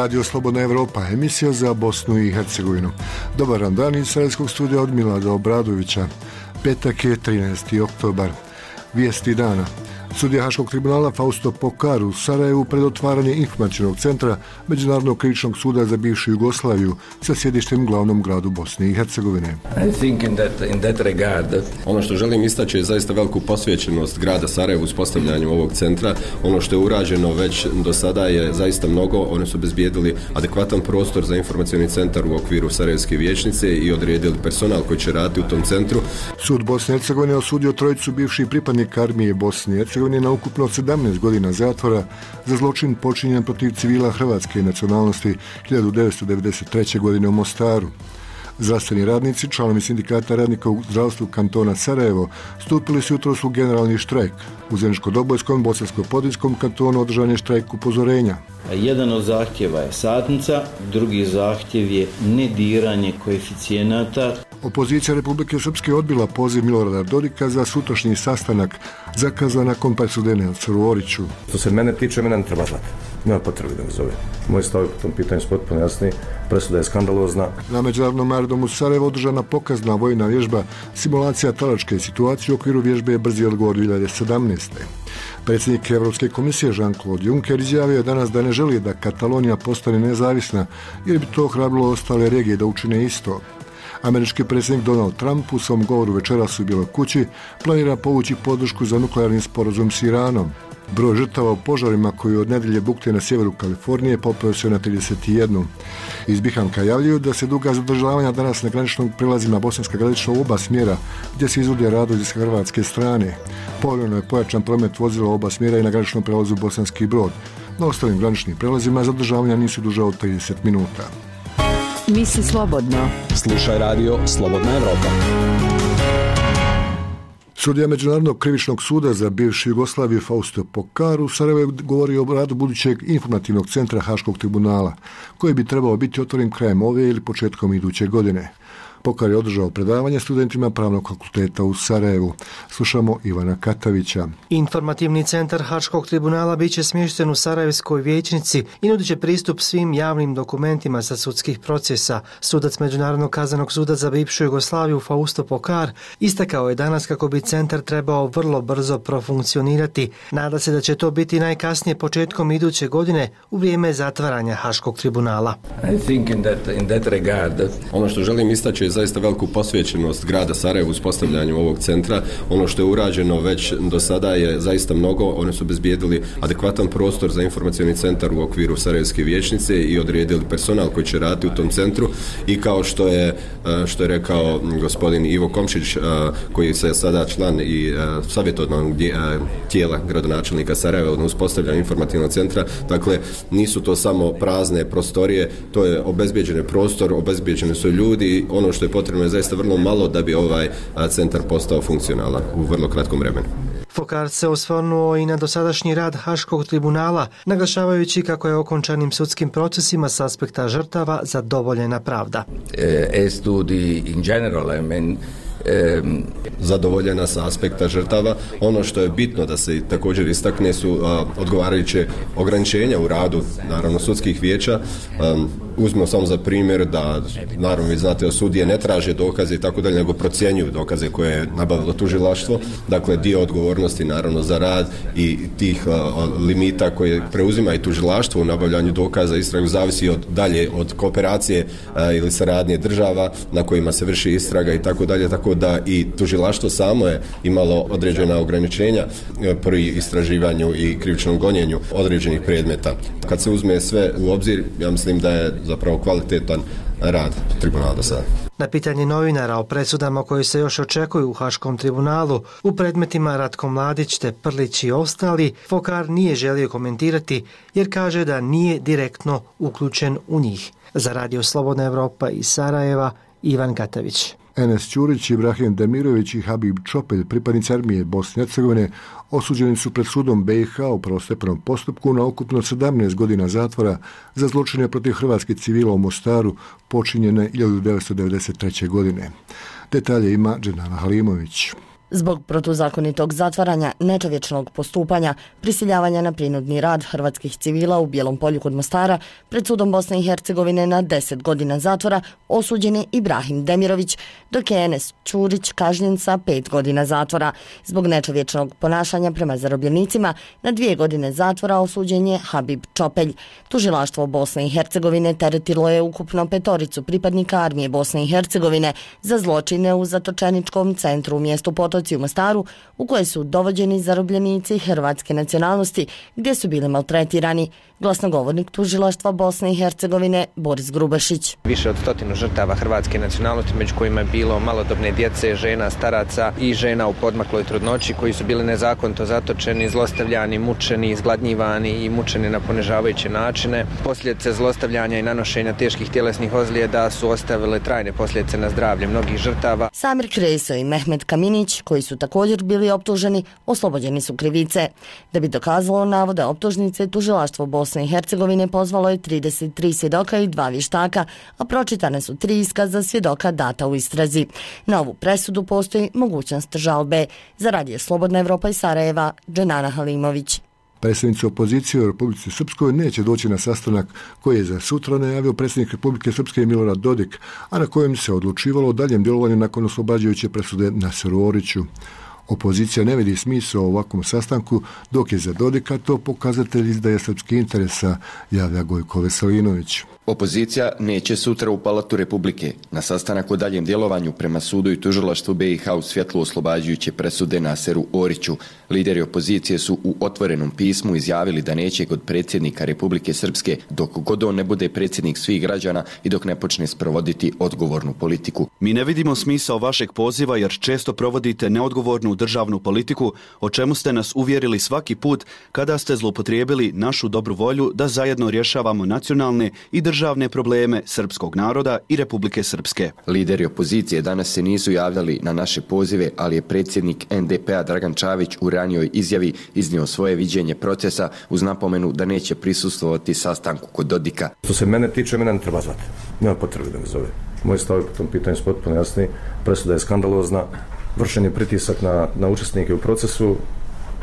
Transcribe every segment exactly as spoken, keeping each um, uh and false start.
Radio Slobodna Evropa, emisija za Bosnu i Hercegovinu. Dobar dan iz Sarajevskog studija od Milada Obradovića. Petak je trinaesti oktobar. Vijesti dana. Sudija Haškog tribunala Fausto Pokar u Sarajevu pred otvaranje informacionog centra Međunarodnog krivičnog suda za bivšu Jugoslaviju sa sjedištem u glavnom gradu Bosne i Hercegovine. I think in that, in that regard, ono što želim istaći je zaista veliku posvećenost grada Sarajevu s postavljanjem ovog centra. Ono što je urađeno već do sada je zaista mnogo. Oni su obezbijedili adekvatan prostor za informacioni centar u okviru Sarajevske vijećnice i odredili personal koji će raditi u tom centru. Sud Bosne i Hercegovine osudio trojicu bivših pripadnika armije Bosne i Hercegovine na ukupno sedamnaest godina zatvora za zločin počinjen protiv civila hrvatske nacionalnosti hiljadu devetsto devedeset treće. godine u Mostaru. Zdravstveni radnici, članovi sindikata radnika u zdravstvu kantona Sarajevo, stupili su jutros u generalni štrajk. U Zeničko-Dobojskom, Bosansko-Podinjskom kantonu održan je štrajk upozorenja. Jedan od zahtjeva je satnica, drugi zahtjev je nediranje koeficijenata. Opozicija Republike Srpske odbila poziv Milorada Dodika za sutrašnji sastanak zakazan nakon presude Nelsoru Oriću. Što se mene tiče, mene ne treba zvati. Nema potrebe da me zove. Moj stav po tom pitanju je potpuno jasni. Presuda je skandalozna. Na Međunarodnom aerodromu Sarajevo održana pokazna vojna vježba simulacija talačke situacije u okviru vježbe Brzi odgovor dvije hiljade sedamnaeste. Predsjednik Europske komisije Jean-Claude Juncker izjavio je danas da ne želi da Katalonija postane nezavisna jer bi to ohrabrilo ostale regije da učine isto. Američki predsjednik Donald Trump u svom govoru večeras u Bijeloj kući planira povući podršku za nuklearni sporazum s Iranom. Broj žrtava u požarima koji od nedjelje bukte na sjeveru Kalifornije popeo se na trideset jedan. Iz Bihanka javljaju da se duga zadržavanja danas na graničnom prilazima Bosanska Gradišta u oba smjera gdje se izvode radovi s hrvatske strane. Povremeno je pojačan promet vozila oba smjera i na graničnom prilazu Bosanski Brod. Na ostalim graničnim prilazima zadržavanja nisu duža od trideset minuta. Misli slobodno. Slušaj radio Slobodna Evropa. Sudija Međunarodnog krivičnog suda za bivšu Jugoslaviju Fausto Pokar u Sarajevu govori o radu budućeg informativnog centra Haškog tribunala, koji bi trebao biti otvoren krajem ove ili početkom iduće godine. Pokar je održao predavanje studentima Pravnog fakulteta u Sarajevu. Slušamo Ivana Katavića. Informativni centar Haškog tribunala bit će smješten u Sarajevskoj vijećnici i nudit će pristup svim javnim dokumentima sa sudskih procesa. Sudac Međunarodnog kaznenog suda za bivšu Jugoslaviju Fausto Pokar istakao je danas kako bi centar trebao vrlo brzo profunkcionirati. Nada se da će to biti najkasnije početkom iduće godine u vrijeme zatvaranja Haškog tribunala. I think in that, in that regard, ono što želim istaći je zaista veliku posvećenost grada Sarajevu s postavljanjem ovog centra. Ono što je urađeno već do sada je zaista mnogo. Oni su obezbijedili adekvatan prostor za informacioni centar u okviru Sarajevske vijećnice i odredili personal koji će raditi u tom centru. I kao što je, što je rekao gospodin Ivo Komšić, koji je sada član i savjetodavnog tijela gradonačelnika Sarajeva na uspostavljanju informativnog centra, dakle nisu to samo prazne prostorije, to je obezbijeđen prostor, obezbijeđeni su ljudi. Ono što je potrebno je zaista vrlo malo da bi ovaj centar postao funkcionalan u vrlo kratkom vremenu. Pokar se osvrnuo i na dosadašnji rad Haškog tribunala, naglašavajući kako je okončanim sudskim procesima s aspekta žrtava zadovoljena pravda. As to the in general, I mean, Um, zadovoljena sa aspekta žrtava. Ono što je bitno da se također istakne su uh, odgovarajuće ograničenja u radu naravno sudskih vijeća. Um, uzmemo samo za primjer da naravno vi znate sudije ne traže dokaze i tako dalje, nego procjenjuju dokaze koje je nabavilo tužilaštvo. Dakle, dio odgovornosti naravno za rad i tih uh, limita koje preuzima i tužilaštvo u nabavljanju dokaza istragu zavisi od dalje od kooperacije uh, ili saradnje država na kojima se vrši istraga i tako dalje, tako da i tužilaštvo samo je imalo određena ograničenja pri istraživanju i krivičnom gonjenju određenih predmeta. Kad se uzme sve u obzir, ja mislim da je zapravo kvalitetan rad tribunala do sada. Na pitanje novinara o presudama koji se još očekuju u Haškom tribunalu u predmetima Ratko Mladić te Prlić i ostali, Pokar nije želio komentirati jer kaže da nije direktno uključen u njih. Za Radio Slobodna Evropa iz Sarajeva, Ivan Katavić. Enes Ćurić, Ibrahim Demirović i Habib Čopelj, pripadnici armije Bosne i Hercegovine, osuđeni su pred sudom B i H u prvostepenom postupku na ukupno sedamnaest godina zatvora za zločine protiv hrvatskih civila u Mostaru počinjene hiljadu devetsto devedeset treće. godine. Detalje ima Dženana Halimović. Zbog protuzakonitog zatvaranja, nečovječnog postupanja, prisiljavanja na prinudni rad hrvatskih civila u Bijelom Polju kod Mostara, pred sudom Bosne i Hercegovine na deset godina zatvora osuđen je Ibrahim Demirović, dok je Enes Ćurić kažnjen sa pet godina zatvora. Zbog nečovječnog ponašanja prema zarobljenicima na dvije godine zatvora osuđen je Habib Čopelj. Tužilaštvo Bosne i Hercegovine teretilo je ukupno petoricu pripadnika armije Bosne i Hercegovine za zločine u zatočeničkom centru u mjestu Potoci u Mostaru, u koje su dovođeni zarobljenici hrvatske nacionalnosti gdje su bili maltretirani. Glasnogovornik tužilaštva Bosne i Hercegovine Boris Grubašić. Više od stotinu žrtava hrvatske nacionalnosti, među kojima je bilo malodobne djece, žena, staraca i žena u podmakloj trudnoći koji su bili nezakonito zatočeni, zlostavljani, mučeni, izgladnjivani i mučeni na ponižavajuće načine. Posljedice zlostavljanja i nanošenja teških tjelesnih ozljeda su ostavile trajne posljedice na zdravlje mnogih žrtava. Samir Kreso i Mehmet Kaminić, koji su također bili optuženi, oslobođeni su krivice. Da bi dokazalo navode optužnice, tužilaštvo Bosne i Hercegovine pozvalo je trideset tri svjedoka i dva vještaka, a pročitane su tri iskaza svjedoka data u istrazi. Na ovu presudu postoji mogućnost žalbe. Za Radio Slobodna Evropa iz Sarajeva, Dženana Halimović. Predsjednica opozicije u Republici Srpskoj neće doći na sastanak koji je za sutra najavio predsjednik Republike Srpske Milorad Dodik, a na kojem se odlučivalo o daljem djelovanju nakon oslobađajuće presude Naseru Oriću. Opozicija ne vidi smisao u ovakvom sastanku, dok je za Dodika to pokazatelj izdaje srpskih interesa, javlja Gojko Veselinović. Opozicija neće sutra u Palatu Republike na sastanak o daljem djelovanju prema sudu i tužilaštvu B i H u svjetlu oslobađajuće presude Naseru Oriću. Lideri opozicije su u otvorenom pismu izjavili da neće kod predsjednika Republike Srpske dok god on ne bude predsjednik svih građana i dok ne počne sprovoditi odgovornu politiku. Mi ne vidimo smisao vašeg poziva jer često provodite neodgovornu državnu politiku, o čemu ste nas uvjerili svaki put kada ste zloupotrijebili našu dobru volju da zajedno rješavamo nacionalne i državne probleme srpskog naroda i Republike Srpske. Lideri opozicije danas se nisu javljali na naše pozive, ali je predsjednik N D P-a Dragan Čavić u ranijoj izjavi iznio svoje viđenje procesa uz napomenu da neće prisustvovati sastanku kod Dodika. Što se mene tiče, mene ne treba zvati. Nema potrebe da me zove. Moji stavovi po tom pitanju su potpuno jasni. Presuda je skandalozna. Vršen je pritisak na, na učesnike u procesu.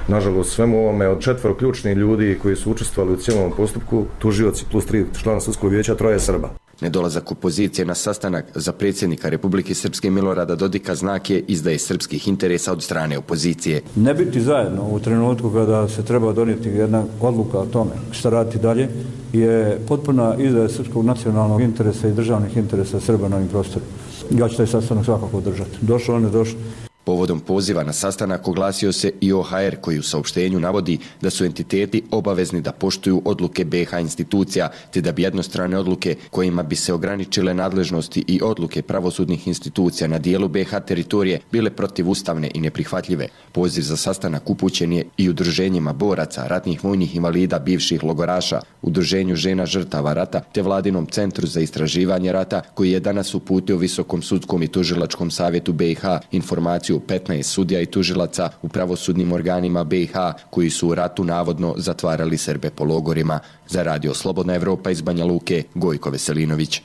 Nažalost, svemu ovome od četvoro ključnih ljudi koji su učestvovali u cijelom postupku, tužioci plus tri člana sudskog vijeća, troje Srba. Nedolazak opozicije na sastanak za predsjednika Republike Srpske Milorada Dodika znak je izdaje srpskih interesa od strane opozicije. Ne biti zajedno u trenutku kada se treba donijeti jedna odluka o tome šta raditi dalje je potpuna izdaja srpskog nacionalnog interesa i državnih interesa Srba na ovim prostorima. Ja ću taj sastanak svakako održati. Došlo, on je došlo. Povodom poziva na sastanak oglasio se i O H R koji u saopštenju navodi da su entiteti obavezni da poštuju odluke B i H institucija, te da bi jednostrane odluke kojima bi se ograničile nadležnosti i odluke pravosudnih institucija na dijelu B i H teritorije bile protivustavne i neprihvatljive. Poziv za sastanak upućen je i udruženjima boraca, ratnih vojnih invalida, bivših logoraša, udruženju žena žrtava rata, te Vladinom centru za istraživanje rata koji je danas uputio Visokom sudskom i tužilačkom savjetu B i H informaciju petnaest sudija i tužilaca u pravosudnim organima B i H koji su u ratu navodno zatvarali Srbe po logorima. Za Radio Slobodna Evropa iz Banja Luke, Gojko Veselinović.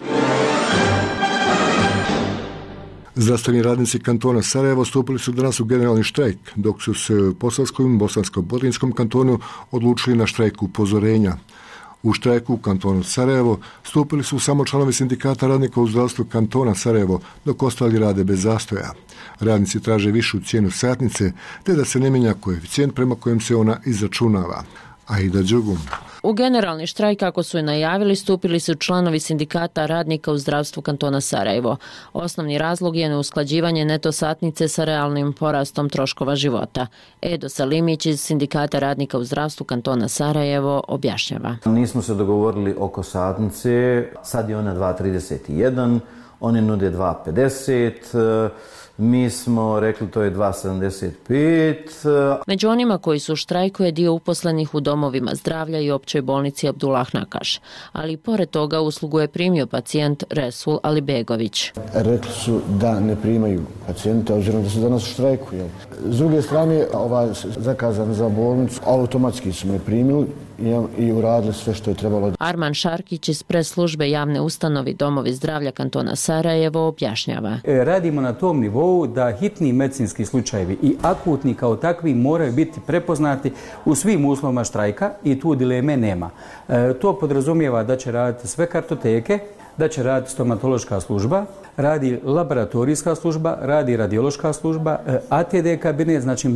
Zdravstveni radnici kantona Sarajevo stupili su danas u generalni štrajk, dok su se u Posavskom i Bosansko-Botrinskom kantonu odlučili na štrajk upozorenja. U štrajku u kantonu Sarajevo stupili su samo članovi sindikata radnika u zdravstvu kantona Sarajevo, dok ostali rade bez zastoja. Radnici traže višu cijenu satnice, te da se ne mijenja koeficijent prema kojem se ona izračunava. Aida Đugum. U generalni štrajk, kako su je najavili, stupili su članovi sindikata radnika u zdravstvu kantona Sarajevo. Osnovni razlog je neusklađivanje neto satnice sa realnim porastom troškova života. Edo Salimić iz sindikata radnika u zdravstvu kantona Sarajevo objašnjava. Nismo se dogovorili oko satnice, sad je ona dva trideset jedan, oni nude dva pedeset, mi smo rekli to je dva sedamdeset pet. Među onima koji su u štrajku je dio uposlenih u domovima zdravlja i općoj bolnici Abdullah Nakaš. Ali pored toga uslugu je primio pacijent Resul Alibegović. Rekli su da ne primaju pacijenta, obzirom da su danas u štrajku. Jel? S druge strane, ovaj zakazan za bolnicu, automatski su me primili i uradili sve što je trebalo. Arman Šarkić iz press službe javne ustanovi Domovi zdravlja kantona Sarajevo objašnjava. E, radimo na tom nivou nivou da hitni medicinski slučajevi i akutni kao takvi moraju biti prepoznati u svim uslovima štrajka i tu dileme nema. E, to podrazumijeva da će raditi sve kartoteke, da će raditi stomatološka služba, radi laboratorijska služba, radi radiološka služba, A T D kabinet, znači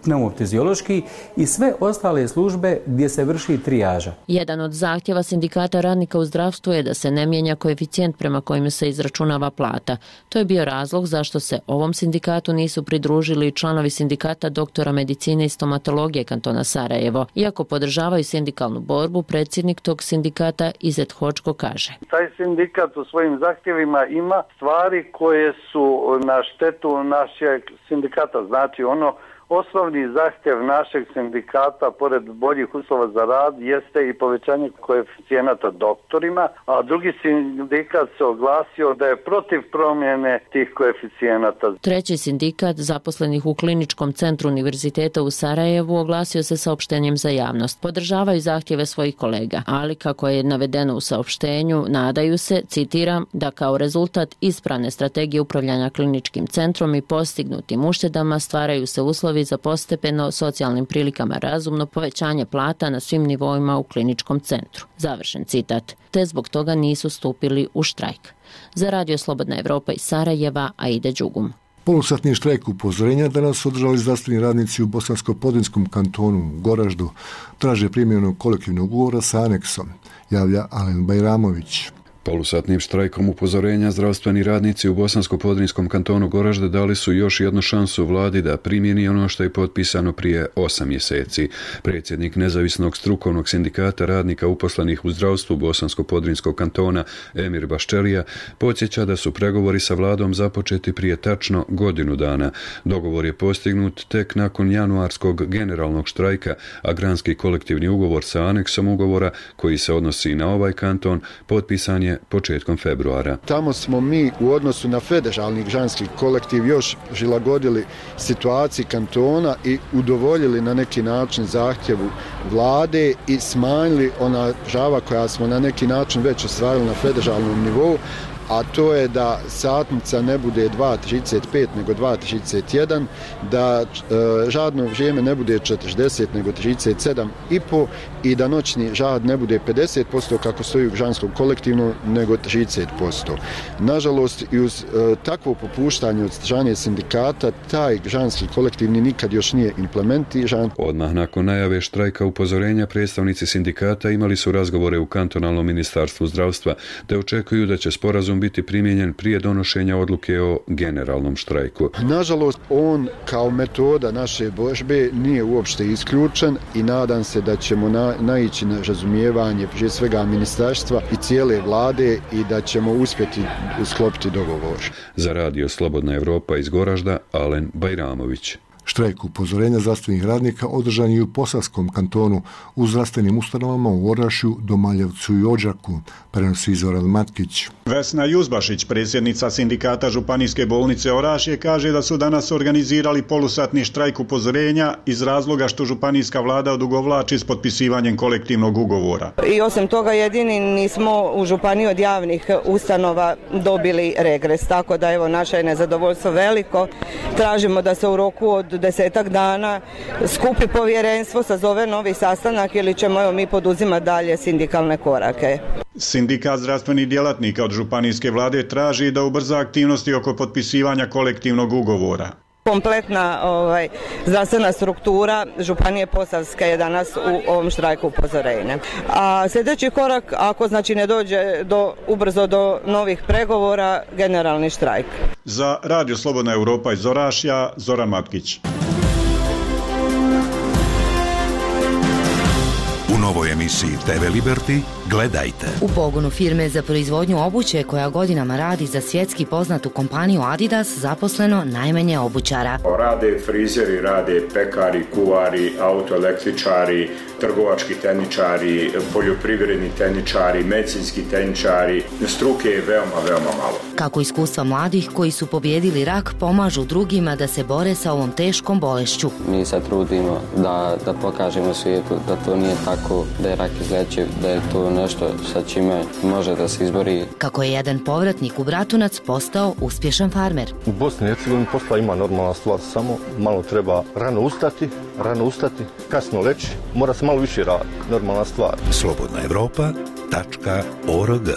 pneumoftiziološki i sve ostale službe gdje se vrši trijaža. Jedan od zahtjeva sindikata radnika u zdravstvu je da se ne mijenja koeficijent prema kojem se izračunava plata. To je bio razlog zašto se ovom sindikatu nisu pridružili članovi sindikata doktora medicine i stomatologije kantona Sarajevo. Iako podržavaju sindikalnu borbu, predsjednik tog sindikata Izet Hočko kaže: Taj sindikat u svojim zahtjevima ima stvari koje su na štetu našeg sindikata. Znači ono, osnovni zahtjev našeg sindikata, pored boljih uslova za rad, jeste i povećanje koeficijenata doktorima, a drugi sindikat se oglasio da je protiv promjene tih koeficijenata. Treći sindikat zaposlenih u Kliničkom centru Univerziteta u Sarajevu oglasio se saopštenjem za javnost. Podržavaju zahtjeve svojih kolega, ali kako je navedeno u saopštenju, nadaju se, citiram, da kao rezultat ispravne strategije upravljanja kliničkim centrom i postignutim uštedama stvaraju se uslovi za postepeno socijalnim prilikama razumno povećanje plata na svim nivoima u kliničkom centru. Završen citat. Te zbog toga nisu stupili u štrajk. Za Radio Slobodna Evropa iz Sarajeva, Aida Đugum. Polusatni štrajk upozorenja danas su održali zdravstveni radnici u Bosansko-Podrinjskom kantonu Goraždu. Traže primjenu kolektivnog ugovora sa aneksom, javlja Alen Bajramović. Polusatnim štrajkom upozorenja zdravstveni radnici u Bosansko-Podrinjskom kantonu Goražde dali su još jednu šansu vladi da primjeni ono što je potpisano prije osam mjeseci. Predsjednik nezavisnog strukovnog sindikata radnika uposlenih u zdravstvu Bosansko-Podrinjskog kantona Emir Baščelija podsjeća da su pregovori sa vladom započeti prije tačno godinu dana. Dogovor je postignut tek nakon januarskog generalnog štrajka, a granski kolektivni ugovor sa aneksom ugovora koji se odnosi na ovaj kanton potpisan je početkom februara. Tamo smo mi u odnosu na federalni granski kolektiv još prilagodili situaciji kantona i udovoljili na neki način zahtjevu vlade i smanjili ona prava koja smo na neki način već ostvarili na federalnom nivou, a to je da satnica ne bude dva trideset pet nego dva trideset jedan, da e, radno vrijeme ne bude četrdeset nego trideset sedam i po i da noćni rad ne bude pedeset posto kako stoji u granskom kolektivnom nego trideset posto. Nažalost, i uz e, takvo popuštanje od strane sindikata, taj granski kolektivni nikad još nije implementiran. Odmah nakon najave štrajka upozorenja predstavnici sindikata imali su razgovore u kantonalnom ministarstvu zdravstva te očekuju da će sporazum biti primijenjen prije donošenja odluke o generalnom štrajku. Nažalost, on kao metoda naše borbe nije uopšte isključen i nadam se da ćemo na, naići na razumijevanje prije svega ministarstva i cijele vlade i da ćemo uspjeti sklopiti dogovor. Za Radio Slobodna Evropa iz Goražda, Alen Bajramović. Štrajk upozorenja zdravstvenih radnika održan je u Posavskom kantonu u zdravstvenim ustanovama u Orašju, Domaljevcu i Odžaku, prenosi Zoran Matkić. Vesna Juzbašić, predsjednica sindikata Županijske bolnice Orašje, kaže da su danas organizirali polusatni štrajk upozorenja iz razloga što županijska vlada odugovlači s potpisivanjem kolektivnog ugovora. I osim toga jedini nismo u županiji od javnih ustanova dobili regres, tako da evo naše je nezadovoljstvo veliko. Tražimo da se u roku od desetak dana skupi povjerenstvo, sazove novi sastanak ili ćemo evo mi poduzimati dalje sindikalne korake. Sindikat zdravstvenih djelatnika od županijske vlade traži da ubrza aktivnosti oko potpisivanja kolektivnog ugovora. Kompletna ovaj, zdravstvena struktura Županije Posavske je danas u ovom štrajku upozorenja. A sljedeći korak, ako znači ne dođe do, ubrzo do novih pregovora, generalni štrajk. Za Radio Slobodna Evropa iz Orašja, Zoran Matkić. U novoj emisiji T V Liberty gledajte. U pogonu firme za proizvodnju obuće koja godinama radi za svjetski poznatu kompaniju Adidas zaposleno najmanje obućara. Rade frizeri, rade pekari, kuvari, autoelektričari, trgovački tehničari, poljoprivredni tehničari, medicinski tehničari. Struke je veoma, veoma malo. Kako iskustva mladih koji su pobjedili rak pomažu drugima da se bore sa ovom teškom bolešću. Mi se trudimo da, da pokažemo svijetu da to nije tako, da je rak izlečiv, da je to nešto sa čime može da se izbori. Kako je jedan povratnik u Bratunac postao uspješan farmer. U Bosni i Hercegovini posla ima normalna stvar, samo malo treba rano ustati, rano ustati, kasno leći, mora se malo više raditi, normalna stvar. Slobodna Evropa tačka org.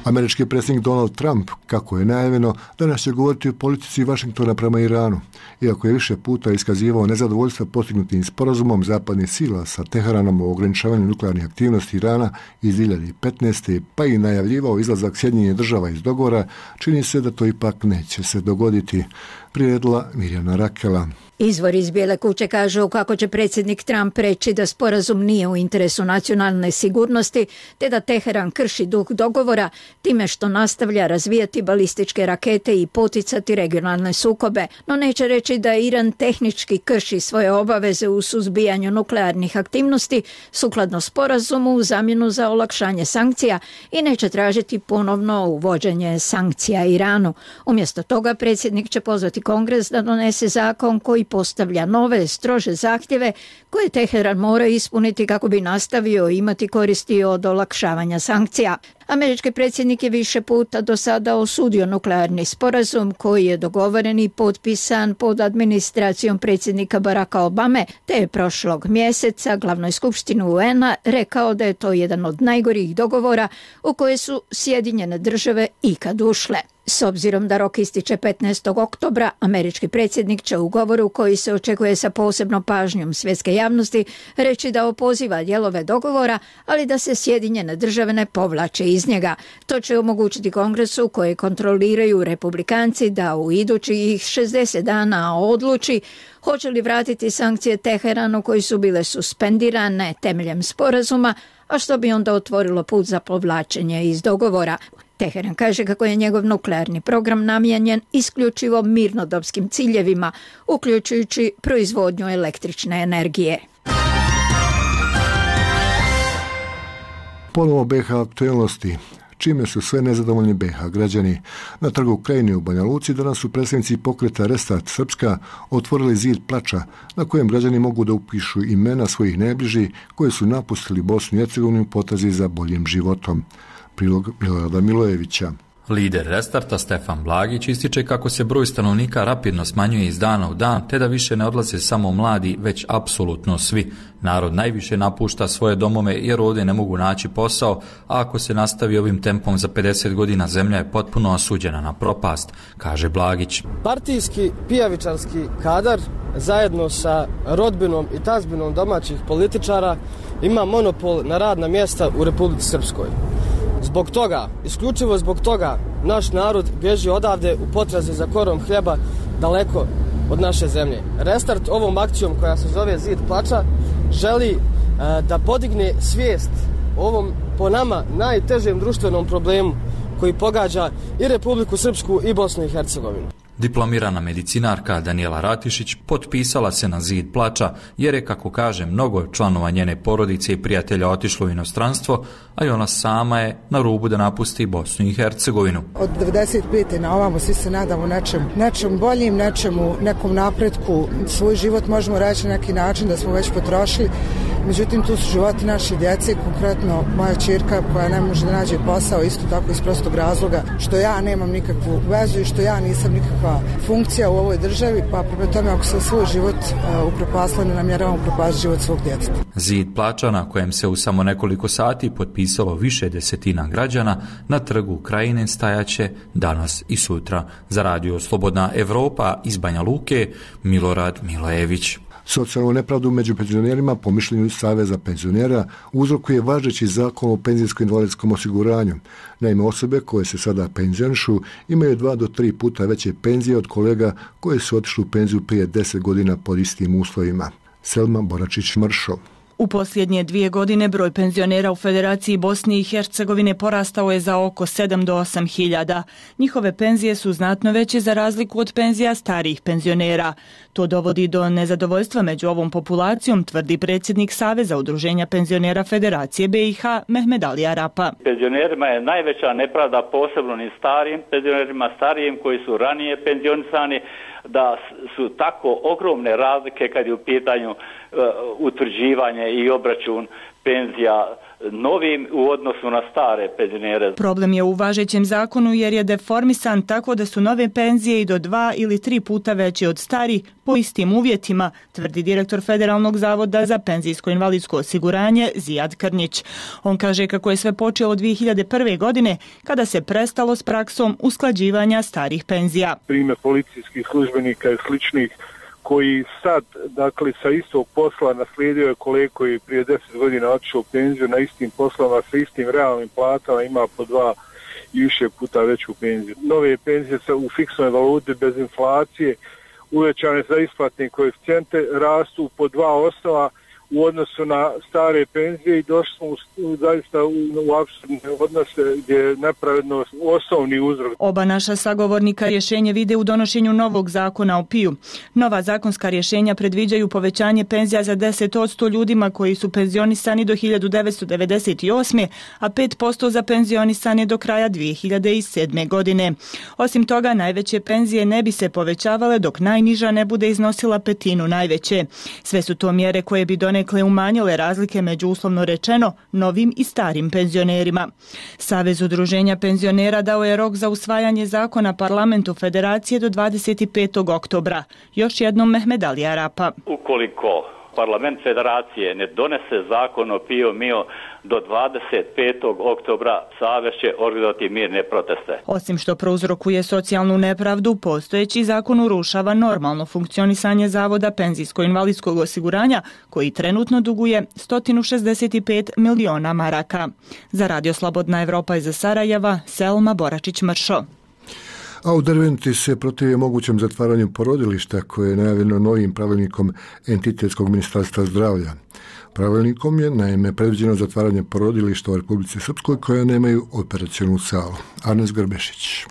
Američki predsjednik Donald Trump, kako je najavljeno, danas će govoriti o politici Vašingtona prema Iranu. Iako je više puta iskazivao nezadovoljstva postignutim sporazumom zapadnih sila sa Teheranom o ograničavanju nuklearnih aktivnosti Irana iz dvije hiljade petnaeste. pa i najavljivao izlazak Sjedinjenih država iz dogovora, čini se da to ipak neće se dogoditi. Priredila Mirjana Rakela. Izvor iz Bijele kuće kažu kako će predsjednik Trump reći da sporazum nije u interesu nacionalne sigurnosti, te da Teheran krši duh dogovora time što nastavlja razvijati balističke rakete i poticati regionalne sukobe, no neće reći da Iran tehnički krši svoje obaveze u suzbijanju nuklearnih aktivnosti sukladno sporazumu u zamjenu za olakšanje sankcija i neće tražiti ponovno uvođenje sankcija Iranu. Umjesto toga predsjednik će pozvati Kongres da donese zakon koji postavlja nove, strože zahtjeve koje Teheran mora ispuniti kako bi nastavio imati koristi od olakšavanja sankcija. Američki predsjednik je više puta do sada osudio nuklearni sporazum koji je dogovoren i potpisan pod administracijom predsjednika Baracka Obame, te je prošlog mjeseca glavnoj skupštini U N-a rekao da je to jedan od najgorih dogovora u koje su Sjedinjene države ikad ušle. S obzirom da rok ističe petnaestog oktobra, američki predsjednik će u govoru koji se očekuje sa posebnom pažnjom svjetske javnosti reći da opoziva dijelove dogovora, ali da se Sjedinjene države ne povlače iz njega. To će omogućiti Kongresu koje kontroliraju Republikanci da u idućih šezdeset dana odluči hoće li vratiti sankcije Teheranu koji su bile suspendirane temeljem sporazuma, a što bi onda otvorilo put za povlačenje iz dogovora. Teheran kaže kako je njegov nuklearni program namijenjen isključivo mirnodopskim ciljevima, uključujući proizvodnju električne energije. Ponovo B H aktualnosti. Čime su sve nezadovoljni B H građani. Na trgu Krajine u Banja Luci danas su predstavnici pokreta Restart Srpska otvorili zid plača na kojem građani mogu da upišu imena svojih najbližih koji su napustili Bosnu i Hercegovinu u potrazi za boljim životom. Prilog Milorada Milojevića. Lider Restarta Stefan Blagić ističe kako se broj stanovnika rapidno smanjuje iz dana u dan, te da više ne odlaze samo mladi, već apsolutno svi. Narod najviše napušta svoje domove jer ovdje ne mogu naći posao, a ako se nastavi ovim tempom za pedeset godina zemlja je potpuno osuđena na propast, kaže Blagić. Partijski pijavičarski kadar zajedno sa rodbinom i tazbinom domaćih političara ima monopol na radna mjesta u Republici Srpskoj. Zbog toga, isključivo zbog toga, naš narod bježi odavde u potrazi za korom hljeba daleko od naše zemlje. Restart ovom akcijom koja se zove Zid plača želi e, da podigne svijest o ovom po nama najtežem društvenom problemu koji pogađa i Republiku Srpsku i Bosnu i Hercegovinu. Diplomirana medicinarka Danijela Ratišić potpisala se na zid plača jer je, kako kaže, mnogo članova njene porodice i prijatelja otišlo u inostranstvo, a i ona sama je na rubu da napusti Bosnu i Hercegovinu. Od devedeset pete na ovamo svi se nadamo nečem, nečem boljim, nečemu, nekom napretku. Svoj život možemo reći na neki način da smo već potrošili. Međutim, tu su životi naše djece, konkretno moja ćerka koja ne može da nađe posao, isto tako iz prostog razloga što ja nemam nikakvu vezu i što ja nisam nikakva funkcija u ovoj državi, pa prema tome ako se svoj život uh, upropasla, ne namjeravam upropasti život svog djeteta. Zid plača na kojem se u samo nekoliko sati potpisalo više desetina građana na trgu Krajine stajaće danas i sutra. Za radio Slobodna Evropa iz Banja Luke, Milorad Milojević. Socijalnu nepravdu među penzionerima, po mišljenju Saveza penzionera, uzrokuje važeći zakon o penzijsko-invalidskom osiguranju. Naime, osobe koje se sada penzionišu imaju dva do tri puta veće penzije od kolega koje su otišli u penziju prije deset godina pod istim uslovima. Selma Boračić-Mršo. U posljednje dvije godine broj penzionera u Federaciji Bosne i Hercegovine porastao je za oko sedam do osam hiljada. Njihove penzije su znatno veće za razliku od penzija starijih penzionera. To dovodi do nezadovoljstva među ovom populacijom, tvrdi predsjednik Saveza udruženja penzionera Federacije B i H Mehmed Ali Arapa. Penzionerima je najveća nepravda, posebno ni starijim penzionerima, starijim koji su ranije penzionisani, da su tako ogromne razlike kad je u pitanju uh, utvrđivanje i obračun penzija novim u odnosu na stare penzionere. Problem je u važećem zakonu jer je deformisan tako da su nove penzije i do dva ili tri puta veće od starih po istim uvjetima, tvrdi direktor Federalnog zavoda za penzijsko-invalidsko osiguranje Zijad Krnjić. On kaže kako je sve počelo dvije hiljade prve. godine kada se prestalo s praksom usklađivanja starih penzija. Primjer policijskih službenika i sličnih koji sad, dakle, sa istog posla naslijedio je kolega koji prije deset godina otišao u penziju na istim poslovima sa istim realnim platama, ima po dva i više puta veću penziju. Nove penzije sa u fiksnoj valuti bez inflacije, uvećane za isplatne koeficijente, rastu po dva osnova u odnosu na stare penzije i došli smo u, zaista u, u apsurdne odnose gdje je nepravednost osnovni uzrok. Oba naša sagovornika rješenje vide u donošenju novog zakona o P I U. Nova zakonska rješenja predviđaju povećanje penzija za deset posto ljudima koji su penzionisani do hiljadu devetsto devedeset osme. a pet posto za penzionisane do kraja dvije hiljade sedme. godine. Osim toga, najveće penzije ne bi se povećavale dok najniža ne bude iznosila petinu najveće. Sve su to mjere koje bi donekle umanjile razlike među, uslovno rečeno, novim i starim penzionerima. Savez udruženja penzionera dao je rok za usvajanje zakona parlamentu Federacije do dvadeset petog oktobra. Još jednom Mehmed Ali Arapa. Ukoliko parlament Federacije ne donese zakon o P I O M I O do dvadeset petog oktobra, Savez će organizovati mirne proteste. Osim što prouzrokuje socijalnu nepravdu, postojeći zakon urušava normalno funkcionisanje Zavoda penzijsko-invalidskog osiguranja, koji trenutno duguje sto šezdeset pet miliona maraka. Za Radio Slobodna Evropa iz Sarajeva, Selma Boračić-Mršo. A u Derventi se protivi mogućem zatvaranju porodilišta koje je najavljeno novim pravilnikom Entitetskog ministarstva zdravlja. Pravilnikom je naime predviđeno zatvaranje porodilišta u Republici Srpskoj koja nemaju operacionu salu. Arnes Grbešić.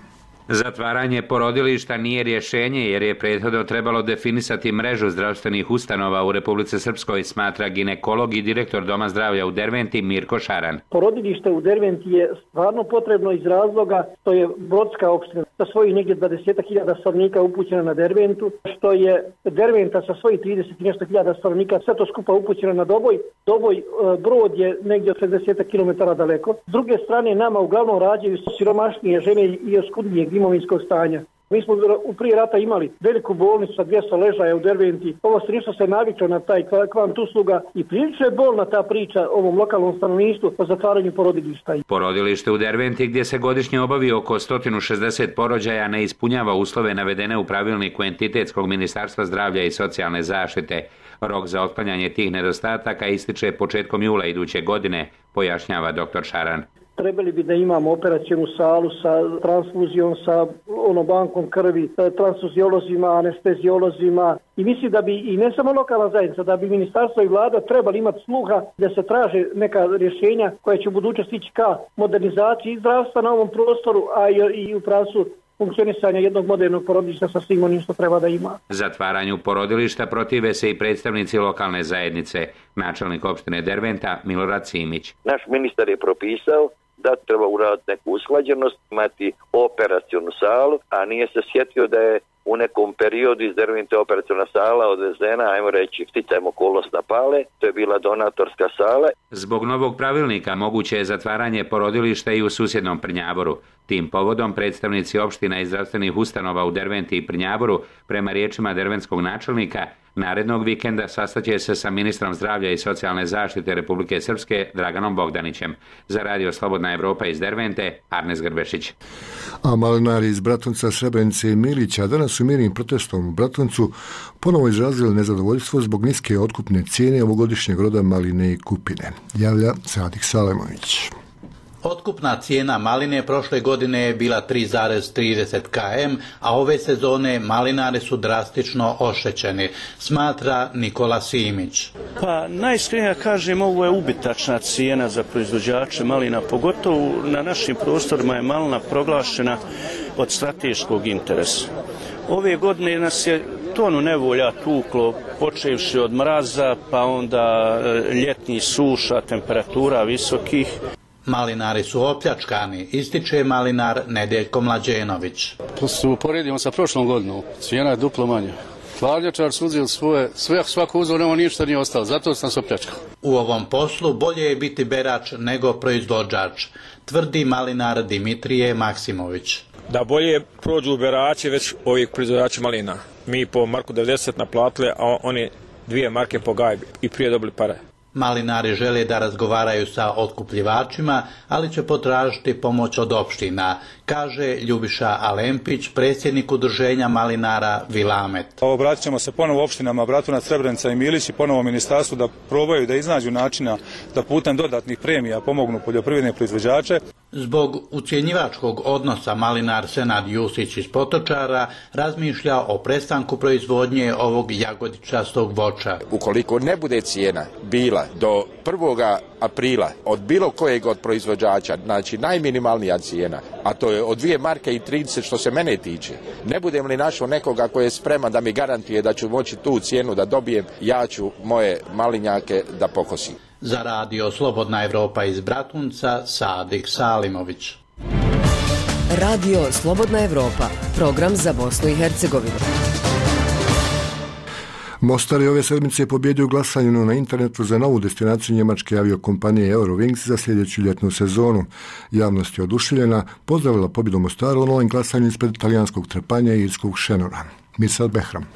Zatvaranje porodilišta nije rješenje jer je prethodno trebalo definisati mrežu zdravstvenih ustanova u Republici Srpskoj, smatra ginekolog i direktor Doma zdravlja u Derventi Mirko Šaran. Porodilište u Derventi je stvarno potrebno iz razloga što je Brodska opština sa svojih negdje dvadeset hiljada stanovnika upućena na Derventu, što je Derventa sa svojih trideset nešto hiljada stanovnika sve to skupa upućena na Doboj. Doboj Brod je negdje od šezdeset kilometara daleko. S druge strane, nama uglavnom rađaju siromašnije žene i oskudnijeg imovinskog stanja. Mi smo u prije rata imali veliku bolnicu sa dvjesto ležaja u Derventi. Ovo se se naviklo na taj kvant usluga i prilično je bolna ta priča ovom lokalnom stanovništvu o zatvaranju porodilišta. Porodilište u Derventi, gdje se godišnje obavi oko sto šezdeset porođaja, ne ispunjava uslove navedene u pravilniku Entitetskog ministarstva zdravlja i socijalne zaštite. Rok za otklanjanje tih nedostataka ističe početkom jula iduće godine, pojašnjava doktor Šaran. Trebali bi da imamo operacijonu salu sa transfuzijom, sa ono bankom krvi, transfuziolozima, anesteziolozima i mislim da bi i ne samo lokalna zajednica, da bi ministarstvo i vlada trebali imati sluha da se traže neka rješenja koja će u budućnosti ići ka modernizaciji zdravstva na ovom prostoru, a i u pravcu funkcionisanja jednog modernog porodilišta sa svim onim što treba da ima. Zatvaranju porodilišta protive se i predstavnici lokalne zajednice. Načelnik opštine Derventa Milorad Simić. Naš ministar je propisao da treba uraditi neku usklađenost, imati operacionu salu, a nije se sjetio da je u nekom periodu iz Dervente operaciona sala odvezena, ajmo reći, sticajem okolnost na Pale, to je bila donatorska sala. Zbog novog pravilnika moguće je zatvaranje porodilišta i u susjednom Prnjavoru. Tim povodom predstavnici opština i zdravstvenih ustanova u Derventi i Prnjavoru, prema riječima derventskog načelnika, narednog vikenda sastaće se sa ministrom zdravlja i socijalne zaštite Republike Srpske Draganom Bogdanićem. Za Radio Slobodna Evropa iz Dervente, Arnes Grbešić. A malinari iz Bratunca, Srebrenice i Milića danas su mirnim protestom u Bratuncu ponovo izrazili nezadovoljstvo zbog niske otkupne cijene ovogodišnjeg roda maline i kupine. Javlja Sadik Salemović. Otkupna cijena maline prošle godine je bila tri zarez trideset kilometara, a ove sezone malinari su drastično oštećeni, smatra Nikola Simić. Pa najiskrenije kažem, ovo je ubitačna cijena za proizvođače malina, pogotovo na našim prostorima je malina proglašena od strateškog interesa. Ove godine nas je tonu nevolja tuklo, počevši od mraza, pa onda ljetnih suša, temperatura visokih. Malinari su opljačkani, ističe malinar Nedeljko Mlađenović. To se uporedimo sa prošlom godinom, cijena je duplo manja. Hladnjačar su uzeli svoje, sve, svako uzeo, nema ništa nije ostalo, zato sam se opljačkao. U ovom poslu bolje je biti berač nego proizvođač, tvrdi malinar Dimitrije Maksimović. Da bolje prođu berači već ovih proizvođača malina. Mi po marku devedeset naplatili, a oni dvije marke po gajbi i prije dobili pare. Malinari žele da razgovaraju sa otkupljivačima, ali će potražiti pomoć od opština, kaže Ljubiša Alempić, predsjednik udruženja malinara Vilamet. Obratit ćemo se ponovo opštinama Bratunac, Srebrenica i Milić i ponovo ministarstvu da probaju da iznađu načina da putem dodatnih premija pomognu poljoprivredne proizvođače. Zbog ucjenjivačkog odnosa malinar Senad Jusić iz Potočara razmišlja o prestanku proizvodnje ovog jagodičastog voća. Ukoliko ne bude cijena bila do prvoga aprila od bilo kojeg od proizvođača, znači najminimalnija cijena, a to je od dvije marke i trideset što se mene tiče, ne budem li našao nekoga koji je spreman da mi garantuje da ću moći tu cijenu da dobijem, ja ću moje malinjake da pokosim. Za radio Slobodna Evropa iz Bratunca, Sadik Salimović. Radio Slobodna Evropa, program za Bosnu i Hercegovinu. Mostar je ove sedmice pobjedio glasanju na internetu za novu destinaciju njemačke aviokompanije Eurowings za sljedeću ljetnu sezonu. Javnost je oduševljena, pozdravila pobjedu Mostaru u novom glasanju ispred talijanskog Trpanja i irskog Šenora. Mirsad Behram.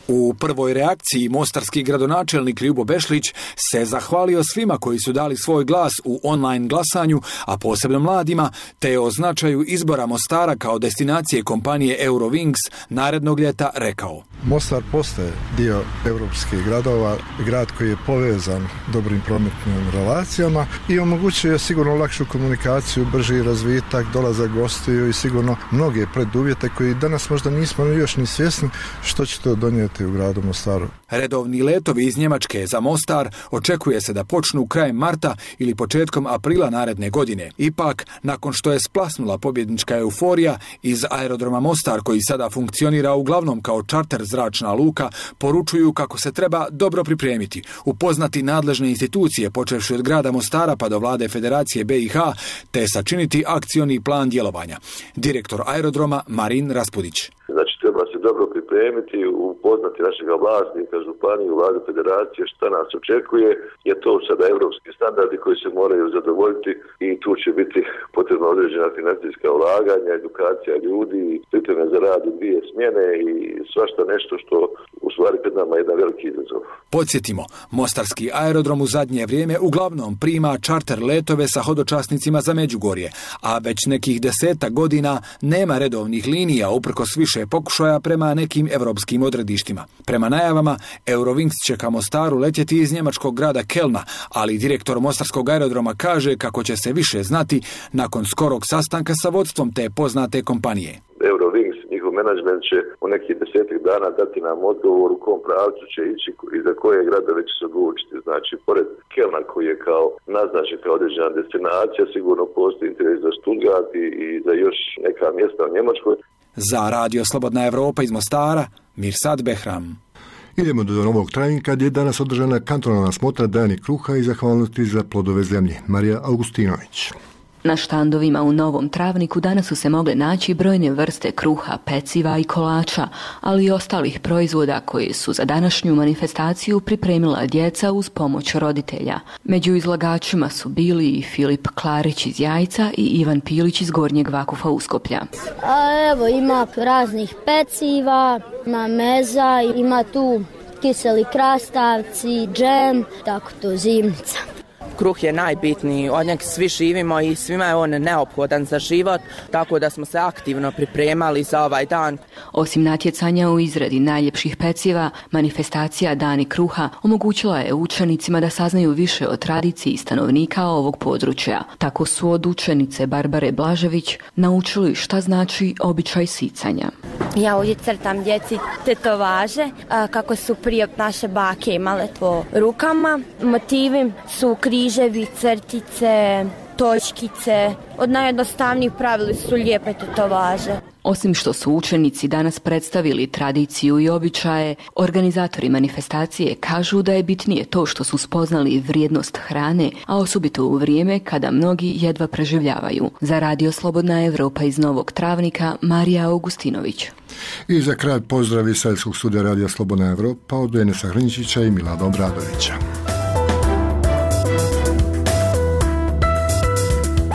U prvoj reakciji mostarski gradonačelnik Ljubo Bešlić se zahvalio svima koji su dali svoj glas u online glasanju, a posebno mladima, te o značaju izbora Mostara kao destinacije kompanije Eurowings narednog ljeta rekao. Mostar postaje dio europskih gradova, grad koji je povezan dobrim prometnim relacijama i omogućuje sigurno lakšu komunikaciju, brži razvitak, dolazak gostiju i sigurno mnoge preduvjete koji danas možda nismo još ni svjesni što će to donijeti u gradu Mostaru. Redovni letovi iz Njemačke za Mostar očekuje se da počnu krajem marta ili početkom aprila naredne godine. Ipak, nakon što je splasnula pobjednička euforija, iz aerodroma Mostar, koji sada funkcionira uglavnom kao čarter zračna luka, poručuju kako se treba dobro pripremiti, upoznati nadležne institucije počevši od grada Mostara pa do vlade Federacije B i H, te sačiniti akcioni plan djelovanja. Direktor aerodroma Marin Raspudić. Znači, treba se dobro pripremiti, upoznati našeg vlasnika, županiju, vladu Federacije, šta nas očekuje, jer to sada evropski standardi koji se moraju zadovoljiti i tu će biti potrebno određena financijska ulaganja, edukacija ljudi, pripreme za rad u dvije smjene i svašta nešto što u stvari pred nama je jedan veliki izazov. Podsjetimo, mostarski aerodrom u zadnje vrijeme uglavnom prima čarter letove sa hodočasnicima za Međugorje, a već nekih deseta godina nema redovnih linija uprkos više pokušaja prema nekim evropskim odredištima. Prema najavama, Eurowings će ka Mostaru letjeti iz njemačkog grada Kelna, ali direktor mostarskog aerodroma kaže kako će se više znati nakon skorog sastanka sa vodstvom te poznate kompanije. Eurowings, njihov menadžment će u nekih desetak dana dati nam odgovor u kom pravcu će ići i za koje gradove će se odlučiti. Znači, pored Kelna koji je kao naznačen kao određena destinacija, sigurno postoji interes za Stuttgart i za još neka mjesta u Njemačkoj. Za radio Slobodna Evropa iz Mostara, Mirsad Behram. Idemo do Novog Travnika gdje je danas održana kantonalna smotra Dani kruha i zahvalnosti za plodove zemlje. Marija Augustinović. Na štandovima u Novom Travniku danas su se mogle naći brojne vrste kruha, peciva i kolača, ali i ostalih proizvoda koje su za današnju manifestaciju pripremila djeca uz pomoć roditelja. Među izlagačima su bili i Filip Klarić iz Jajca i Ivan Pilić iz Gornjeg Vakufa Uskoplja. A evo, ima raznih peciva, ima meza, ima tu kiseli krastavci, džem, tako to zimnica. Kruh je najbitniji, od njeg svi živimo i svima je on neophodan za život, tako da smo se aktivno pripremali za ovaj dan. Osim natjecanja u izradi najljepših peciva, manifestacija Dani kruha omogućila je učenicima da saznaju više o tradiciji stanovnika ovog područja. Tako su od učenice Barbare Blažević naučili šta znači običaj sicanja. Ja ovdje crtam djeci tetovaže, kako su prije naše bake imale to rukama. Motivi su križevi, crtice, točkice. Od najjednostavnijih pravili su lijepe tetovaže. Osim što su učenici danas predstavili tradiciju i običaje, organizatori manifestacije kažu da je bitnije to što su spoznali vrijednost hrane, a osobito u vrijeme kada mnogi jedva preživljavaju. Za Radio Slobodna Evropa iz Novog Travnika, Marija Augustinović. I za kraj pozdrav iz Savjetskog studija Radija Slobodna Evropa od Denisa Hrinčića i Milada Obradovića.